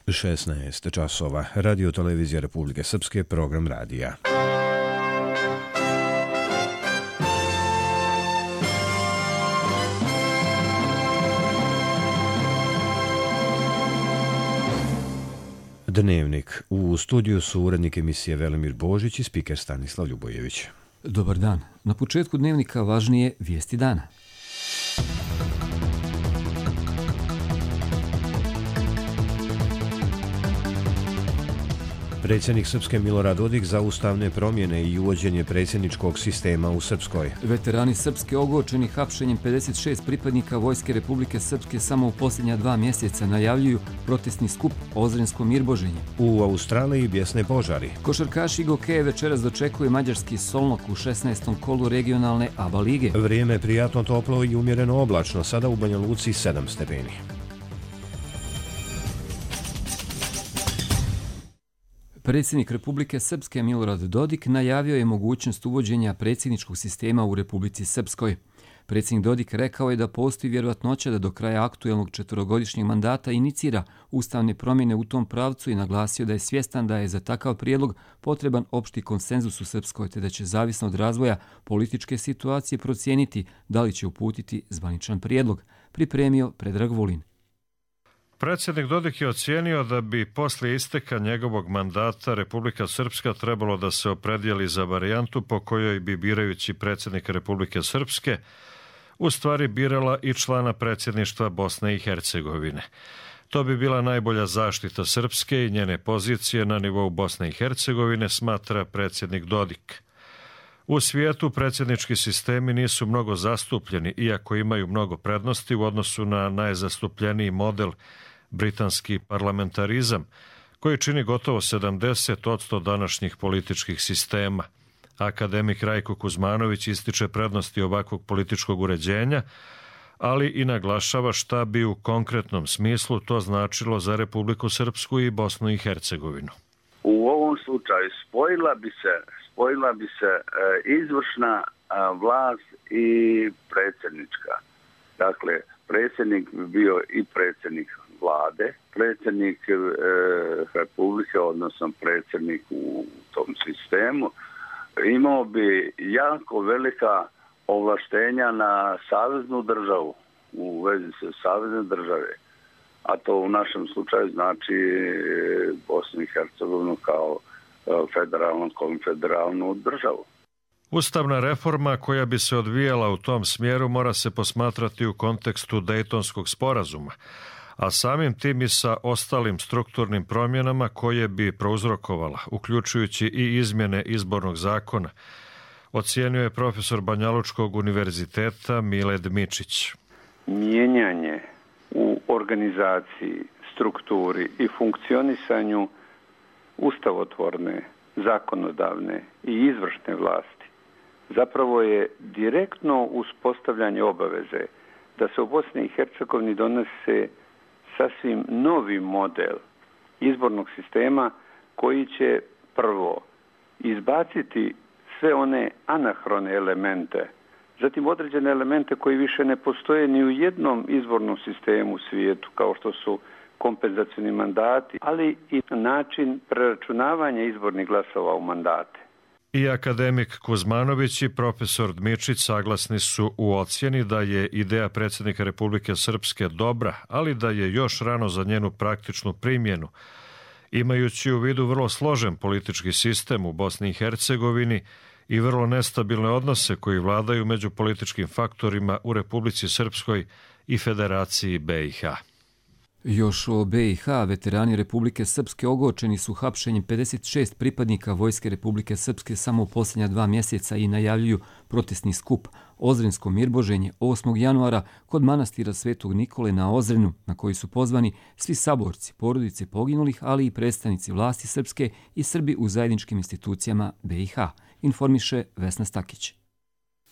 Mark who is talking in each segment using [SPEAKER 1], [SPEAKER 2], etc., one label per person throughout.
[SPEAKER 1] 16 časova. Radio Televizija Republike Srpske, program radija. Dnevnik. U studiju su urednik emisije Velimir Božić i spiker Stanislav Ljubojević.
[SPEAKER 2] Dobar dan. Na početku dnevnika važnije vijesti dana.
[SPEAKER 1] Predsjednik Srpske Milorad Dodik za ustavne promjene i uvođenje predsjedničkog sistema u Srpskoj.
[SPEAKER 2] Veterani Srpske ogorčeni hapšenjem 56 pripadnika Vojske Republike Srpske samo u posljednja 2 mjeseca najavljuju protestni skup Ozrensko Mirboženje.
[SPEAKER 1] U Australiji bjesne požari.
[SPEAKER 2] Košarkaši Gokeje večeras dočekuje mađarski Solnok u 16. kolu regionalne ABA lige.
[SPEAKER 1] Vrijeme prijatno toplo i umjereno oblačno, sada u Banja Luci 7 stepeni.
[SPEAKER 2] Predsjednik Republike Srpske Milorad Dodik najavio je mogućnost uvođenja predsjedničkog sistema u Republici Srpskoj. Predsjednik Dodik rekao je da postoji vjerojatnoća da do kraja aktuelnog 4-godišnjeg mandata inicira ustavne promjene u tom pravcu i naglasio da je svjestan da je za takav prijedlog potreban opšti konsenzus u Srpskoj, te da će zavisno od razvoja političke situacije procijeniti da li će uputiti zvaničan prijedlog, pripremio Predrag Vulin.
[SPEAKER 3] Predsjednik Dodik je ocijenio da bi poslije isteka njegovog mandata Republika Srpska trebalo da se opredijeli za varijantu po kojoj bi birajući predsjednika Republike Srpske u stvari birala i člana predsjedništva Bosne i Hercegovine. To bi bila najbolja zaštita Srpske i njene pozicije na nivou Bosne i Hercegovine, smatra predsjednik Dodik. U svijetu predsjednički sistemi nisu mnogo zastupljeni, iako imaju mnogo prednosti u odnosu na najzastupljeniji model britanski parlamentarizam, koji čini gotovo 70% današnjih političkih sistema. Akademik Rajko Kuzmanović ističe prednosti ovakvog političkog uređenja, ali i naglašava šta bi u konkretnom smislu to značilo za Republiku Srpsku i Bosnu i Hercegovinu.
[SPEAKER 4] U ovom slučaju spojila bi se izvršna vlast i predsjednička. Dakle, predsjednik bi bio i predsjednik vlade, predsjednik Republike, odnosno predsjednik u tom sistemu, imao bi jako velika ovlaštenja na saveznu državu, u vezi sa savezne države. A to u našem slučaju znači Bosnu i Hercegovinu kao federalnu, konfederalnu državu.
[SPEAKER 3] Ustavna reforma koja bi se odvijala u tom smjeru mora se posmatrati u kontekstu Dejtonskog sporazuma, a samim tim i sa ostalim strukturnim promjenama koje bi prouzrokovala, uključujući i izmjene izbornog zakona, ocijenio je profesor Banjalučkog univerziteta Mile Dmičić.
[SPEAKER 5] Mijenjanje u organizaciji, strukturi i funkcionisanju ustavotvorne, zakonodavne i izvršne vlasti zapravo je direktno uspostavljanje obaveze da se u Bosni i Hercegovini donese sasvim novi model izbornog sistema koji će prvo izbaciti sve one anahrone elemente, zatim određene elemente koji više ne postoje ni u jednom izbornom sistemu u svijetu, kao što su kompenzacioni mandati, ali i način preračunavanja izbornih glasova u mandate.
[SPEAKER 3] I akademik Kuzmanović i profesor Dmičić saglasni su u ocjeni da je ideja predsjednika Republike Srpske dobra, ali da je još rano za njenu praktičnu primjenu, imajući u vidu vrlo složen politički sistem u Bosni i Hercegovini i vrlo nestabilne odnose koji vladaju među političkim faktorima u Republici Srpskoj i Federaciji BiH.
[SPEAKER 2] Još o BiH, veterani Republike Srpske ogorčeni su hapšenjem 56 pripadnika Vojske Republike Srpske samo u posljednja 2 mjeseca i najavljuju protestni skup Ozrensko Mirboženje 8. januara kod manastira Svetog Nikole na Ozrenu, na koji su pozvani svi saborci, porodice poginulih, ali i predstavnici vlasti Srpske i Srbi u zajedničkim institucijama BiH, informiše Vesna Stakić.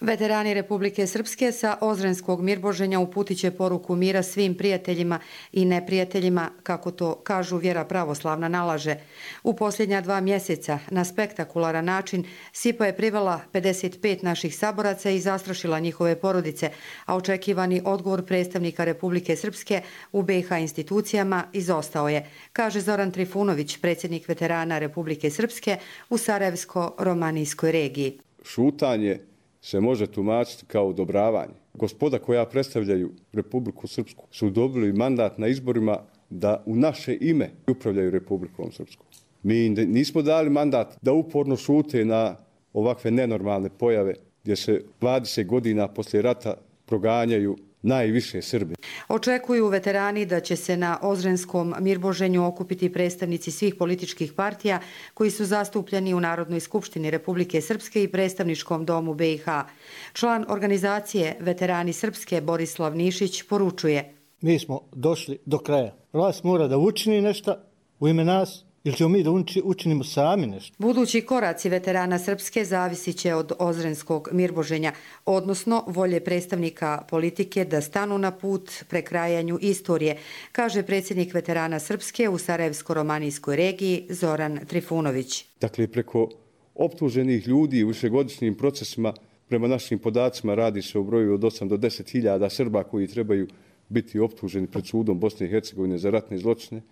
[SPEAKER 6] Veterani Republike Srpske sa Ozrenskog Mirboženja uputit će poruku mira svim prijateljima i neprijateljima, kako to kažu vjera pravoslavna nalaže. U posljednja 2 mjeseca na spektakularan način SIPA je privela 55 naših saboraca i zastrašila njihove porodice, a očekivani odgovor predstavnika Republike Srpske u BiH institucijama izostao je, kaže Zoran Trifunović, predsjednik veterana Republike Srpske u Sarajevsko-Romanijskoj regiji.
[SPEAKER 7] Šutanje se može tumačiti kao odobravanje. Gospoda koja predstavljaju Republiku Srpsku su dobili mandat na izborima da u naše ime upravljaju Republikom Srpskom. Mi nismo dali mandat da uporno šute na ovakve nenormalne pojave gdje se 20 godina poslije rata proganjaju najviše Srbi.
[SPEAKER 6] Očekuju veterani da će se na Ozrenskom Mirboženju okupiti predstavnici svih političkih partija koji su zastupljeni u Narodnoj skupštini Republike Srpske i predstavničkom domu BiH. Član organizacije Veterani Srpske Borislav Nišić poručuje:
[SPEAKER 8] Mi smo došli do kraja. Vlast mora da učini nešto u ime nas, ili ćemo mi da učinimo sami nešto.
[SPEAKER 6] Budući koraci veterana Srpske zavisit će od Ozrenskog Mirboženja, odnosno volje predstavnika politike da stanu na put prekrajanju istorije, kaže predsjednik veterana Srpske u Sarajevsko-Romanijskoj regiji Zoran Trifunović.
[SPEAKER 7] Dakle, preko optuženih ljudi u višegodišnjim procesima, prema našim podacima, radi se o broju od 8 do 10 hiljada Srba koji trebaju biti optuženi pred sudom Bosne i Hercegovine za ratne zločine.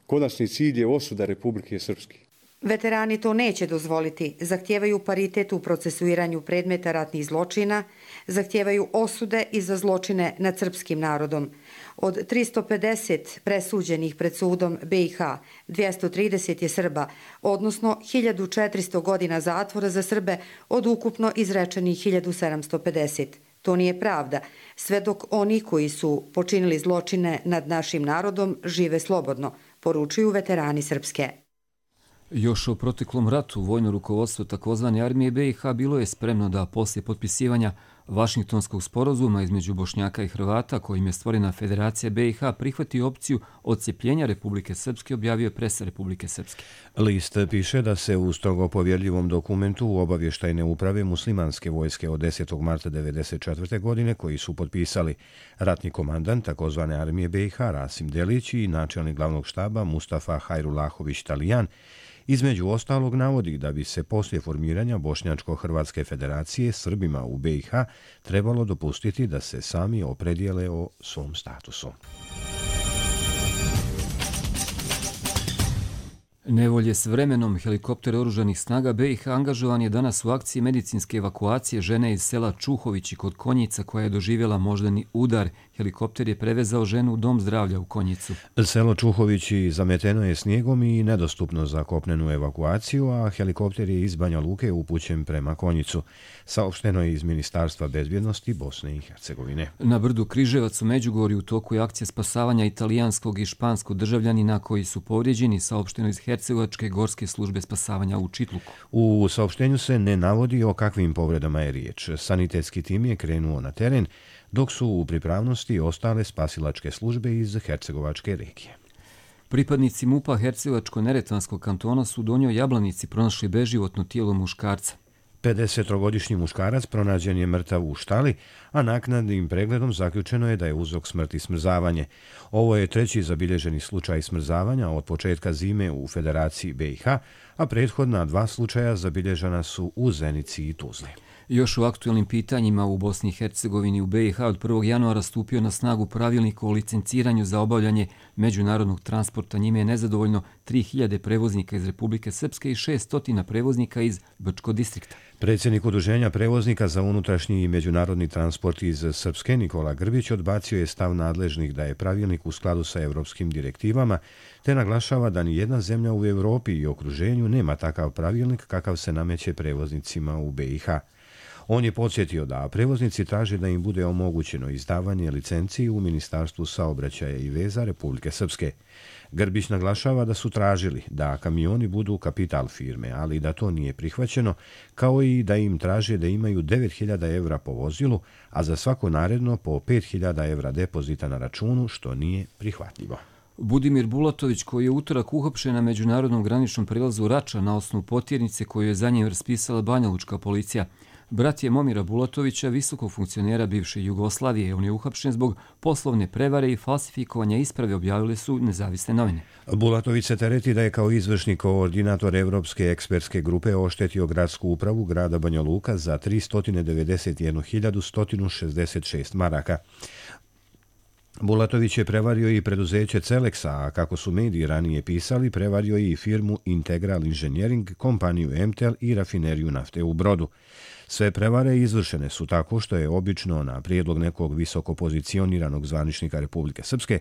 [SPEAKER 7] Konačni cilj je osuda Republike Srpske.
[SPEAKER 6] Veterani to neće dozvoliti. Zahtijevaju paritet u procesuiranju predmeta ratnih zločina, zahtijevaju osude i za zločine nad srpskim narodom. Od 350 presuđenih pred sudom BiH, 230 je Srba, odnosno 1400 godina zatvora za Srbe od ukupno izrečenih 1750. To nije pravda, sve dok oni koji su počinili zločine nad našim narodom žive slobodno, poručuju veterani Srpske.
[SPEAKER 2] Još u proteklom ratu vojno rukovodstvo takozvane armije BiH bilo je spremno da poslije potpisivanja Vašingtonskog sporazuma između Bošnjaka i Hrvata, kojim je stvorena Federacija BiH, prihvati opciju odcepljenja Republike Srpske, objavio je presa Republike Srpske.
[SPEAKER 1] List piše da se u strogo povjerljivom dokumentu u obavještajne uprave muslimanske vojske od 10. marta 1994. godine, koji su potpisali ratni komandant takozvane armije BiH Rasim Delić i načelnik glavnog štaba Mustafa Hajrulahović Talijan, između ostalog navodi da bi se poslije formiranja Bošnjačko-Hrvatske federacije Srbima u BiH trebalo dopustiti da se sami opredijele o svom statusu.
[SPEAKER 2] Nevolje s vremenom. Helikopter oružanih snaga BiH angažovan je danas u akciji medicinske evakuacije žene iz sela Čuhovići kod Konjica koja je doživjela moždani udar. Helikopter je prevezao ženu u dom zdravlja u Konjicu.
[SPEAKER 1] Selo Čuhovići zameteno je snijegom i nedostupno za kopnenu evakuaciju, a helikopter je iz Banja Luke upućen prema Konjicu. Saopšteno je iz Ministarstva bezbjednosti Bosne i Hercegovine.
[SPEAKER 2] Na brdu Križevac u Međugorju u toku je akcija spasavanja italijanskog i španskog državljanina koji su povrijeđeni, saopšteno iz Hercegovačke gorske službe spasavanja u Čitluku.
[SPEAKER 1] U saopštenju se ne navodi o kakvim povredama je riječ. Sanitetski tim je krenuo na teren, dok su u pripravnosti ostale spasilačke službe iz Hercegovačke regije.
[SPEAKER 2] Pripadnici MUP-a Hercegovačko-Neretvanskog kantona su u Donjoj Jablanici pronašli beživotno tijelo muškarca.
[SPEAKER 1] 53-godišnji muškarac pronađen je mrtav u štali, a naknadnim pregledom zaključeno je da je uzrok smrti smrzavanje. Ovo je treći zabilježeni slučaj smrzavanja od početka zime u Federaciji BiH, a prethodna 2 slučaja zabilježena su u Zenici i Tuzli.
[SPEAKER 2] Još u aktualnim pitanjima u Bosni i Hercegovini u BiH od 1. januara stupio na snagu pravilnik o licenciranju za obavljanje međunarodnog transporta. Njime je nezadovoljno 3000 prevoznika iz Republike Srpske i 600 prevoznika iz Brčko distrikta.
[SPEAKER 1] Predsjednik Udruženja prevoznika za unutrašnji i međunarodni transport iz Srpske Nikola Grbić odbacio je stav nadležnih da je pravilnik u skladu sa europskim direktivama, te naglašava da ni jedna zemlja u Europi i okruženju nema takav pravilnik kakav se nameće prevoznicima u BiH. On je podsjetio da prevoznici traže da im bude omogućeno izdavanje licenciji u Ministarstvu saobraćaja i veza Republike Srpske. Grbić naglašava da su tražili da kamioni budu kapital firme, ali da to nije prihvaćeno, kao i da im traže da imaju 9.000 evra po vozilu, a za svako naredno po 5.000 evra depozita na računu, što nije prihvatljivo.
[SPEAKER 2] Budimir Bulatović, koji je utorak uhapšen na međunarodnom graničnom prelazu Rača na osnovu potjernice koju je za njim raspisala banjalučka policija. Brat je Momira Bulatovića, visokog funkcionera bivše Jugoslavije. On je uhapšen zbog poslovne prevare i falsifikovanja isprave, objavile su nezavisne novine.
[SPEAKER 1] Bulatović se tereti da je kao izvršni koordinator Evropske ekspertske grupe oštetio gradsku upravu grada Banja Luka za 391.166 maraka. Bulatović je prevario i preduzeće Celexa, a kako su mediji ranije pisali, prevario i firmu Integral Engineering, kompaniju MTEL i rafineriju nafte u Brodu. Sve prevare izvršene su tako što je obično na prijedlog nekog visoko pozicioniranog zvaničnika Republike Srpske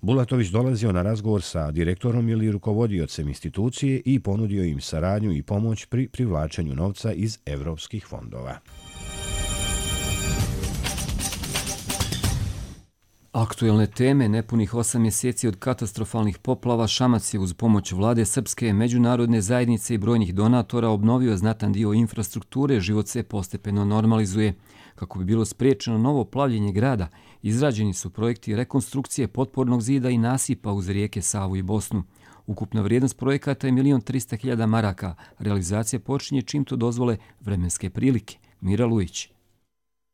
[SPEAKER 1] Bulatović dolazio na razgovor sa direktorom ili rukovodiocem institucije i ponudio im saradnju i pomoć pri privlačenju novca iz evropskih fondova.
[SPEAKER 2] Aktuelne teme, nepunih 8 mjeseci od katastrofalnih poplava, Šamac je uz pomoć vlade Srpske, međunarodne zajednice i brojnih donatora obnovio znatan dio infrastrukture, život se postepeno normalizuje. Kako bi bilo spriječeno novo plavljenje grada, izrađeni su projekti rekonstrukcije potpornog zida i nasipa uz rijeke Savu i Bosnu. Ukupna vrijednost projekata je 1.300.000 maraka. Realizacija počinje čim to dozvole vremenske prilike. Mira Lujić.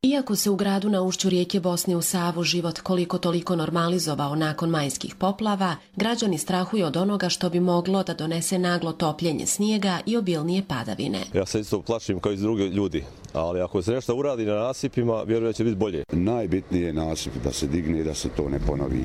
[SPEAKER 9] Iako se u gradu na ušću rijeke Bosne u Savu život koliko toliko normalizovao nakon majskih poplava, građani strahuju od onoga što bi moglo da donese naglo topljenje snijega i obilnije padavine.
[SPEAKER 10] Ja se isto plašim kao i drugi ljudi, ali ako se nešto uradi na nasipima, vjerujem da će biti bolje.
[SPEAKER 11] Najbitnije je nasip da se digne i da se to ne ponovi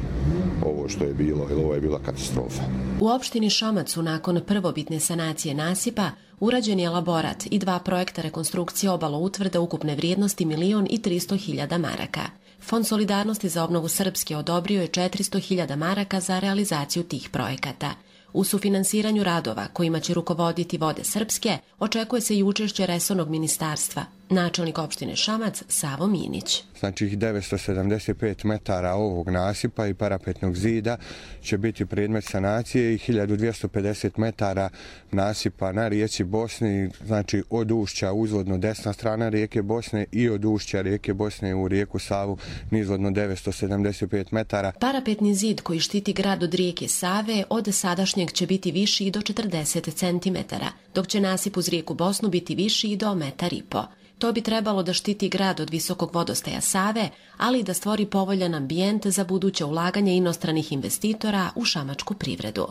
[SPEAKER 11] ovo što je bilo, jer ovo je bila katastrofa.
[SPEAKER 9] U opštini Šamacu nakon prvobitne sanacije nasipa urađen je elaborat i 2 projekta rekonstrukcije obaloutvrda ukupne vrijednosti 1.300.000 maraka. Fond solidarnosti za obnovu Srpske odobrio je 400.000 maraka za realizaciju tih projekata. U sufinansiranju radova kojima će rukovoditi Vode Srpske očekuje se i učešće resornog ministarstva. Načelnik opštine Šamac Savo Minić.
[SPEAKER 12] Znači 975 metara ovog nasipa i parapetnog zida će biti predmet sanacije i 1250 metara nasipa na rijeci Bosni, znači od ušća uzvodno desna strana rijeke Bosne i od ušća rijeke Bosne u rijeku Savu nizvodno 975 metara.
[SPEAKER 9] Parapetni zid koji štiti grad od rijeke Save od sadašnjeg će biti viši i do 40 cm, dok će nasip uz rijeku Bosnu biti viši i do 1,5 m. To bi trebalo da štiti grad od visokog vodostaja Save, ali i da stvori povoljan ambijent za buduće ulaganje inostranih investitora u šamačku privredu.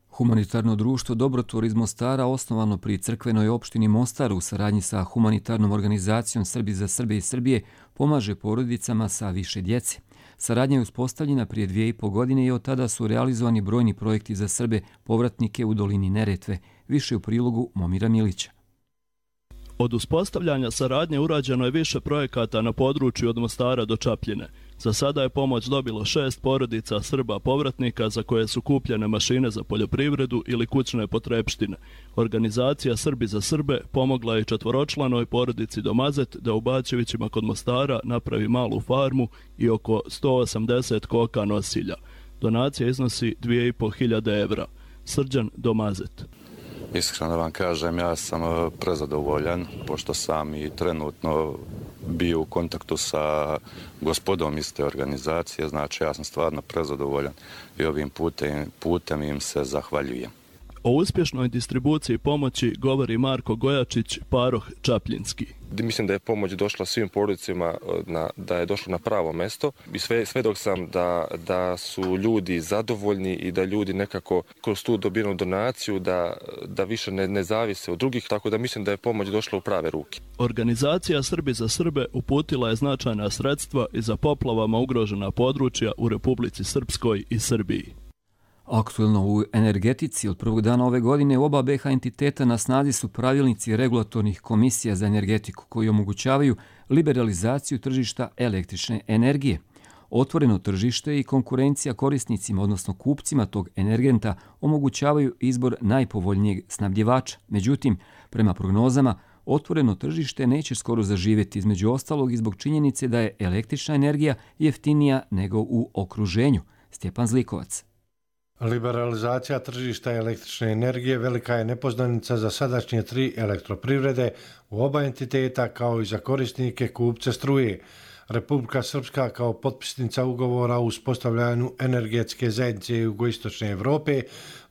[SPEAKER 2] Humanitarno društvo Dobrotvor iz Mostara, osnovano pri crkvenoj opštini Mostar u saradnji sa humanitarnom organizacijom Srbi za Srbe iz Srbije, pomaže porodicama sa više djece. Saradnja je uspostavljena prije 2,5 godine i od tada su realizovani brojni projekti za Srbe povratnike u dolini Neretve. Više u prilogu Momira Milića.
[SPEAKER 13] Od uspostavljanja saradnje urađeno je više projekata na području od Mostara do Čapljine. Za sada je pomoć dobilo 6 porodica Srba povratnika za koje su kupljene mašine za poljoprivredu ili kućne potrepštine. Organizacija Srbi za Srbe pomogla je 4-članoj porodici Domazet da u Bačevićima kod Mostara napravi malu farmu i oko 180 koka nosilja. Donacija iznosi 2.500 evra. Srđan Domazet.
[SPEAKER 14] Iskreno da vam kažem, ja sam prezadovoljan, pošto sam i trenutno bio u kontaktu sa gospodom iz te organizacije, znači ja sam stvarno prezadovoljan i ovim putem im se zahvaljujem.
[SPEAKER 13] O uspješnoj distribuciji pomoći govori Marko Gojačić, paroh Čapljinski.
[SPEAKER 15] Mislim da je pomoć došla svim porodicama, da je došla na pravo mesto i sve dok sam da su ljudi zadovoljni i da ljudi nekako kroz tu dobijenu donaciju da više ne zavise od drugih, tako da mislim da je pomoć došla u prave ruke.
[SPEAKER 13] Organizacija Srbi za Srbe uputila je značajna sredstva i za poplavama ugrožena područja u Republici Srpskoj i Srbiji.
[SPEAKER 2] Aktuelno u energetici od prvog dana ove godine u oba BiH entiteta na snazi su pravilnici regulatornih komisija za energetiku koji omogućavaju liberalizaciju tržišta električne energije. Otvoreno tržište i konkurencija korisnicima, odnosno kupcima tog energenta, omogućavaju izbor najpovoljnijeg snabdjevača. Međutim, prema prognozama, otvoreno tržište neće skoro zaživjeti, između ostalog i zbog činjenice da je električna energija jeftinija nego u okruženju. Stjepan Zlikovac.
[SPEAKER 16] Liberalizacija tržišta električne energije velika je nepoznanica za sadašnje 3 elektroprivrede u oba entiteta kao i za korisnike kupce struje. Republika Srpska kao potpisnica ugovora o uspostavljanju energetske zajednice jugoistočne Evrope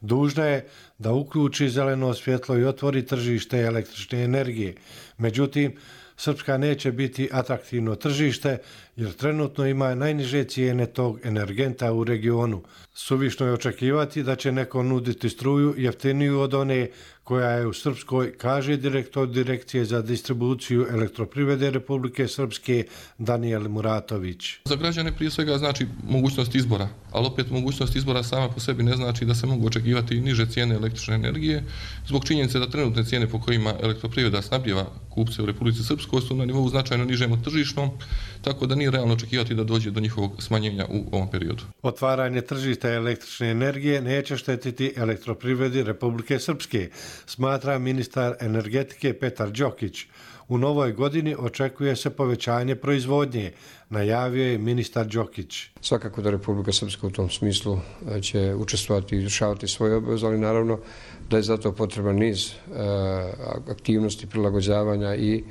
[SPEAKER 16] dužna je da uključi zeleno svjetlo i otvori tržište električne energije. Međutim, Srpska neće biti atraktivno tržište jer trenutno ima najniže cijene tog energenta u regionu. Suvišno je očekivati da će neko nuditi struju jeftiniju od one koja je u Srpskoj, kaže direktor Direkcije za distribuciju elektroprivrede Republike Srpske Danijel Muratović.
[SPEAKER 17] Za građane prije svega znači mogućnost izbora, ali opet mogućnost izbora sama po sebi ne znači da se mogu očekivati niže cijene električne energije, zbog činjenice da trenutne cijene po kojima elektroprivreda snabdijeva kupce u Republici Srpskoj su na nivou značajno nižem od tržišnom, tako da nije realno očekivati da dođe do njihovog smanjenja u ovom periodu.
[SPEAKER 16] Otvaranje tržišta električne energije neće štetiti elektroprivredi Republike Srpske, smatra ministar energetike Petar Đokić. U novoj godini očekuje se povećanje proizvodnje, najavio je ministar Đokić.
[SPEAKER 18] Svakako da Republika Srpska u tom smislu će učestvovati i izvršavati svoje obaveze, ali naravno da je zato potreban niz aktivnosti prilagođavanja i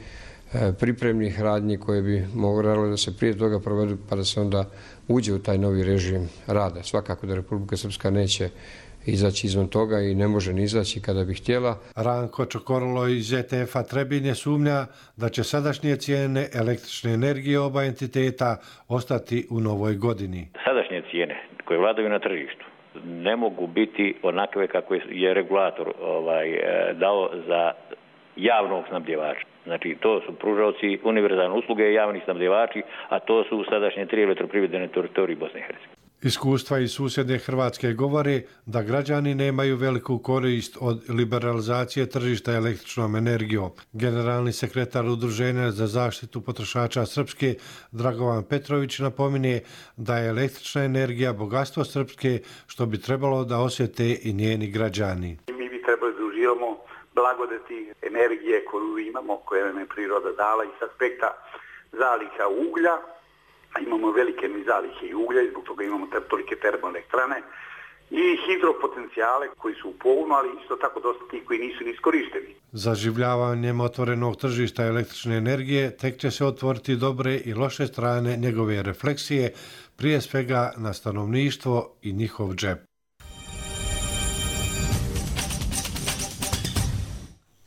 [SPEAKER 18] pripremnih radnji koje bi morale da se prije toga provedu pa da se onda uđe u taj novi režim rada. Svakako da Republika Srpska neće izaći izvan toga i ne može ni izaći kada bi htjela.
[SPEAKER 16] Ranko Čokorolo iz ETF-a Trebinje sumnja da će sadašnje cijene električne energije oba entiteta ostati u novoj godini.
[SPEAKER 19] Sadašnje cijene koje vladaju na tržištu ne mogu biti onakve kako je regulator dao za javnog snabdjevača. Znači, to su pružaoci univerzalne usluge i javni snabdjevači, a to su sadašnje 3 elektroprivrede na teritoriji Bosne i Hercegovine.
[SPEAKER 16] Iskustva iz susjedne Hrvatske govore da građani nemaju veliku korist od liberalizacije tržišta električnom energijom. Generalni sekretar Udruženja za zaštitu potrošača Srpske Dragovan Petrović napominje da je električna energija bogatstvo Srpske što bi trebalo da osjete i njeni građani.
[SPEAKER 20] Mi bi trebali da uživamo blagodati energije koju imamo, koje nam je priroda dala iz aspekta zaliha uglja. Imamo velike zalihe i uglja i zbog toga imamo tolike termoelektrane i hidropotencijale koji su u pogonu, ali isto tako dosta ti koji nisu ni iskorišteni.
[SPEAKER 16] Zaživljavanjem otvorenog tržišta električne energije tek će se otvoriti dobre i loše strane njegove refleksije, prije svega na stanovništvo i njihov džep.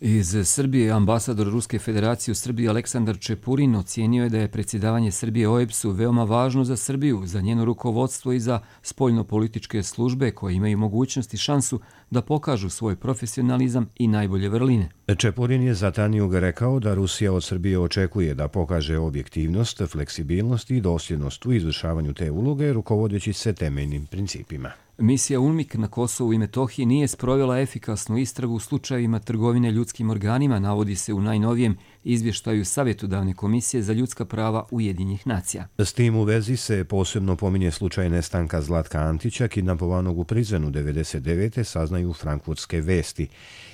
[SPEAKER 2] Iz Srbije ambasador Ruske federacije u Srbiji Aleksandar Čepurin ocijenio je da je predsjedavanje Srbije OEBS-u veoma važno za Srbiju, za njeno rukovodstvo i za spoljnopolitičke službe koje imaju mogućnost i šansu da pokažu svoj profesionalizam i najbolje vrline.
[SPEAKER 1] Čepurin je za Tanjug rekao da Rusija od Srbije očekuje da pokaže objektivnost, fleksibilnost i dosljednost u izvršavanju te uloge, rukovodeći se temeljnim principima.
[SPEAKER 2] Misija UNMIK na Kosovu i Metohiji nije sprovela efikasnu istragu u slučajevima trgovine ljudskim organima, navodi se u najnovijem izvještaju Savjetodavne komisije za ljudska prava Ujedinjenih nacija.
[SPEAKER 1] S tim u vezi se posebno pominje slučaj nestanka Zlatka Antića, kidnapovanog u Prizrenu 1999. saznaju frankfurtske vesti.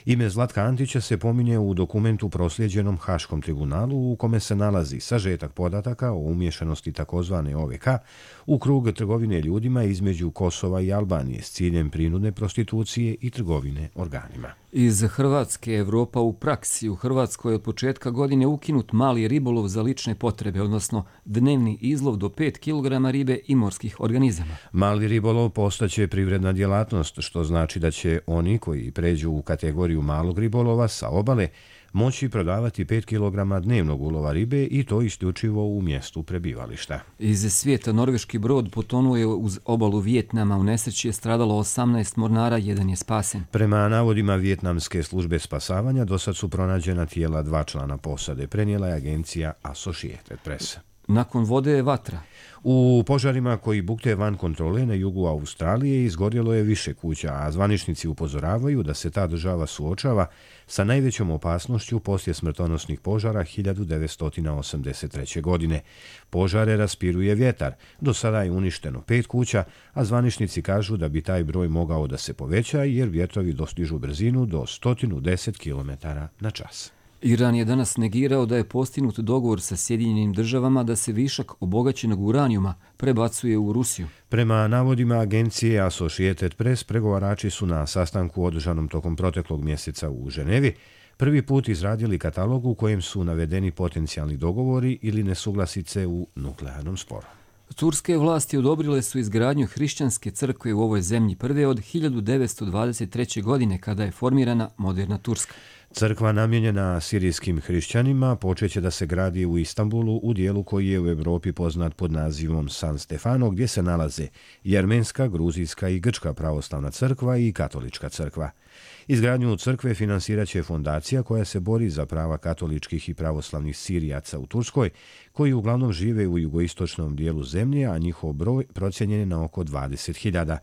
[SPEAKER 1] Ime Zlatka Antića se pominje u dokumentu proslijeđenom Haškom tribunalu u kome se nalazi sažetak podataka o umješanosti takozvane OVK u krug trgovine ljudima između Kosova i Albanije s ciljem prinudne prostitucije i trgovine organima.
[SPEAKER 2] Iz Hrvatske, Evropa u praksi. U Hrvatskoj je od početka godine ukinut mali ribolov za lične potrebe, odnosno dnevni izlov do 5 kg ribe i morskih organizama.
[SPEAKER 1] Mali ribolov postaće privredna djelatnost, što znači da će oni koji pređu u kategoriju malog ribolova sa obale moći prodavati 5 kg dnevnog ulova ribe i to isključivo u mjestu prebivališta.
[SPEAKER 2] Iz svijeta norveški brod potonuo je uz obalu Vijetnama. U nesreći je stradalo 18 mornara, jedan je spasen.
[SPEAKER 1] Prema navodima Vijetnamske službe spasavanja, dosad su pronađena tijela 2 člana posade, prenijela je agencija Associated Press.
[SPEAKER 2] Nakon vode je vatra.
[SPEAKER 1] U požarima koji bukte van kontrole na jugu Australije izgorjelo je više kuća, a zvaničnici upozoravaju da se ta država suočava sa najvećom opasnošću poslije smrtonosnih požara 1983. godine. Požare raspiruje vjetar. Do sada je uništeno 5 kuća, a zvaničnici kažu da bi taj broj mogao da se poveća jer vjetrovi dostižu brzinu do 110 km/h.
[SPEAKER 2] Iran je danas negirao da je postignut dogovor sa Sjedinjenim državama da se višak obogaćenog uranijuma prebacuje u Rusiju.
[SPEAKER 1] Prema navodima agencije Associated Press, pregovarači su na sastanku održanom tokom proteklog mjeseca u Ženevi prvi put izradili katalog u kojem su navedeni potencijalni dogovori ili nesuglasice u nuklearnom sporu.
[SPEAKER 2] Turske vlasti odobrile su izgradnju hrišćanske crkve u ovoj zemlji prve od 1923. godine kada je formirana moderna Turska.
[SPEAKER 1] Crkva namijenjena sirijskim hrišćanima počeće da se gradi u Istanbulu u dijelu koji je u Europi poznat pod nazivom San Stefano, gdje se nalaze i armenska, gruzijska i grčka pravoslavna crkva i katolička crkva. Izgradnju crkve finansirat će fondacija koja se bori za prava katoličkih i pravoslavnih Sirijaca u Turskoj, koji uglavnom žive u jugoistočnom dijelu zemlje, a njihov broj procijenjen je na oko 20.000.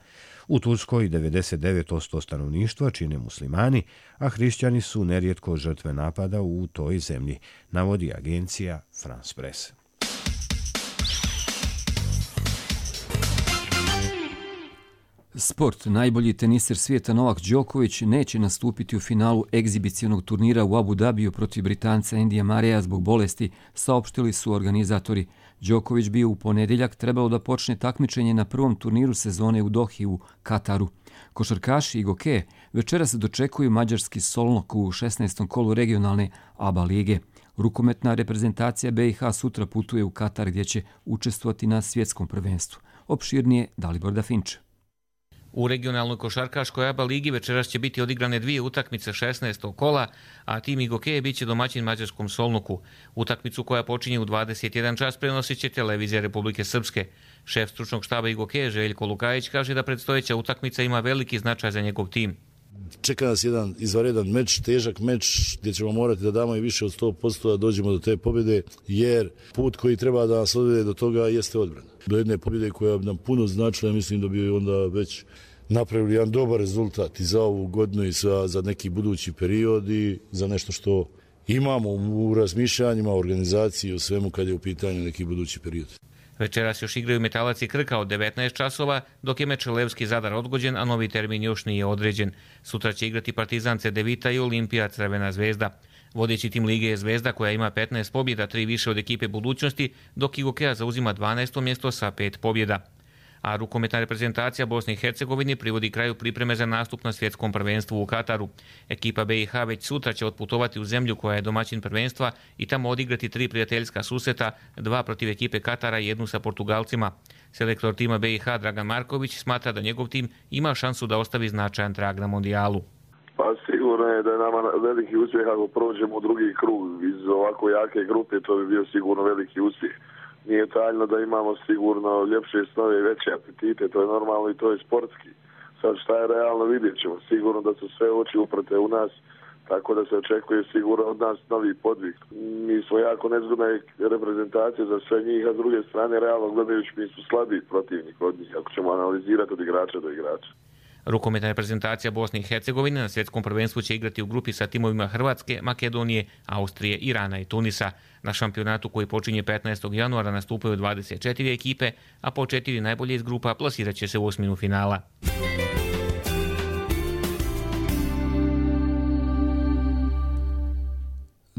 [SPEAKER 1] U Turskoj 99% stanovništva čine muslimani, a hrišćani su nerijetko žrtve napada u toj zemlji, navodi agencija France Press.
[SPEAKER 2] Sport. Najbolji teniser svijeta Novak Đoković neće nastupiti u finalu egzibicionog turnira u Abu Dhabiju protiv Britanca Andyja Murraya zbog bolesti, saopštili su organizatori. Đoković bi u ponedjeljak trebalo da počne takmičenje na prvom turniru sezone u Dohi u Kataru. Košarkaši i gokeje večeras dočekuju mađarski Solnok u 16. kolu regionalne ABA lige. Rukometna reprezentacija BiH sutra putuje u Katar gdje će učestvovati na svjetskom prvenstvu. Opširnije Dalibor Dafinč.
[SPEAKER 21] U regionalnoj košarkaškoj ABA ligi večeras će biti odigrane 2 utakmice 16. kola, a tim Igokeje biće domaćin mađarskom Solnoku. Utakmicu koja počinje u 21 čas prenosit će televizija Republike Srpske. Šef stručnog štaba Igokeje Željko Lukajić kaže da predstojeća utakmica ima veliki značaj za njegov tim.
[SPEAKER 22] Čeka nas jedan izvanredan meč, težak meč gdje ćemo morati da damo i više od 100% da dođemo do te pobjede, jer put koji treba da nas odvede do toga jeste odbrana. Do jedne pobjede koja bi nam puno značila, mislim da bi onda već napravili jedan dobar rezultat i za ovu godinu i za neki budući period i za nešto što imamo u razmišljanjima, organizaciji, u svemu kad je u pitanju neki budući period.
[SPEAKER 21] Večeras još igraju Metalac i Krka od 19 časova, dok je meč Levski Zadar odgođen, a novi termin još nije određen. Sutra će igrati Partizan Cedevita i Olimpija Crvena zvezda. Vodeći tim lige je Zvezda koja ima 15 pobjeda, 3 više od ekipe Budućnosti, dok Igokeja zauzima 12. mjesto sa 5 pobjeda. A rukometna reprezentacija Bosne i Hercegovine privodi kraju pripreme za nastup na svjetskom prvenstvu u Kataru. Ekipa BiH već sutra će otputovati u zemlju koja je domaćin prvenstva i tamo odigrati 3 prijateljska susreta, 2 protiv ekipe Katara i 1 sa Portugalcima. Selektor tima BiH Dragan Marković smatra da njegov tim ima šansu da ostavi značajan trag na mondijalu.
[SPEAKER 23] Pa sigurno je da je nama veliki uspjeh ako prođemo u drugi krug. Iz ovako jake grupe to bi bio sigurno veliki uspjeh. Nije tajno da imamo sigurno ljepše snove i veće apetite, to je normalno i to je sportski. Sad šta je realno vidjet ćemo. Sigurno da su sve oči uprte u nas, tako da se očekuje sigurno od nas novi podvig. Mi smo jako nezgodna reprezentacija za sve njih, a s druge strane realno gledajući mi su slabiji protivnik od njih, ako ćemo analizirati od igrača do igrača.
[SPEAKER 21] Rukometna reprezentacija Bosne i Hercegovine na svjetskom prvenstvu će igrati u grupi sa timovima Hrvatske, Makedonije, Austrije, Irana i Tunisa. Na šampionatu koji počinje 15. januara nastupaju 24 ekipe, a po 4 najbolje iz grupa plasirat će se u osminu finala.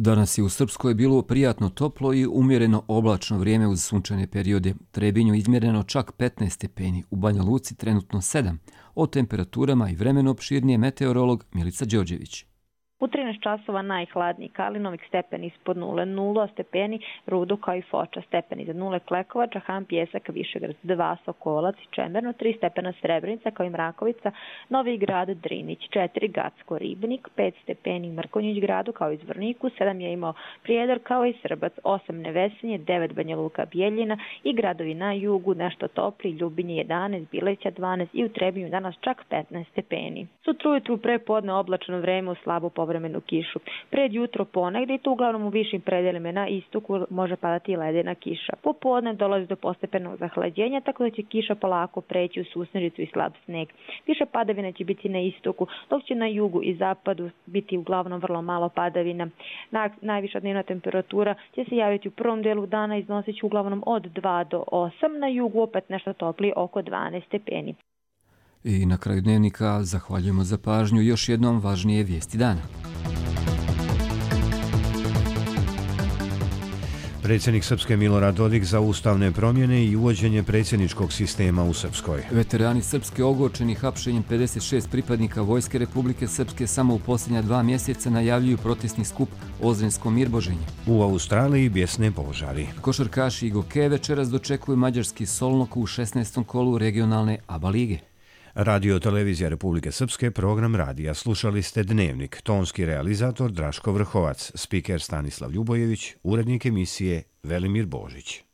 [SPEAKER 2] Danas je u Srpskoj bilo prijatno toplo i umjereno oblačno vrijeme uz sunčane periode. Trebinju izmjereno čak 15 stepeni, u Banja Luci trenutno 7. O temperaturama i vremenu opširnije meteorolog Milica Đorđević.
[SPEAKER 24] U 13 časova najhladniji Kalinovik, stepeni ispod 0 stepeni, Rudo kao i Foča, stepeni za 0 Klekovac, Han, Pjesak, Višegrad 2, Sokolac i Čemerno, 3 stepena Srebrenica kao i Mrakovica, Novi Grad, Drinić, 4 Gacko, Ribnik, 5 stepeni Mrkonjić gradu kao i Zvorniku, 7 je imao Prijedor kao i Srbac, 8 Nevesinje, 9 Banja Luka, Bijeljina i gradovi na jugu nešto topli, Ljubinje 11, Bileća 12 i u Trebinju danas čak 15 stepeni. Sutra ujutru prepodne oblačno vreme u slabo povremenu kišu. Pred jutro ponegdje i to uglavnom u višim predelima na istoku može padati i ledena kiša. Popodne dolazi do postepenog zahlađenja, tako da će kiša polako preći u susnežicu i slab sneg. Više padavina će biti na istoku, dok će na jugu i zapadu biti uglavnom vrlo malo padavina. Najviša dnevna temperatura će se javiti u prvom delu dana, iznosit će uglavnom od 2 do 8, na jugu opet nešto toplije oko 12 stepeni.
[SPEAKER 2] I na kraju dnevnika zahvaljujemo za pažnju, još jednom važnije vijesti dana.
[SPEAKER 1] Predsjednik Srpske Milorad Dodik za ustavne promjene i uvođenje predsjedničkog sistema u Srpskoj.
[SPEAKER 2] Veterani Srpske ogorčeni hapšenjem 56 pripadnika Vojske Republike Srpske samo u posljednja 2 mjeseca najavljuju protestni skup Ozrensko Mirboženje.
[SPEAKER 1] U Australiji bijesne požari.
[SPEAKER 2] Košarkaši i gokeje večeras dočekuju mađarski Solnok u 16. kolu regionalne ABA lige.
[SPEAKER 1] Radio Televizija Republike Srpske, program radija. Slušali ste Dnevnik, tonski realizator Draško Vrhovac, spiker Stanislav Ljubojević, urednik emisije Velimir Božić.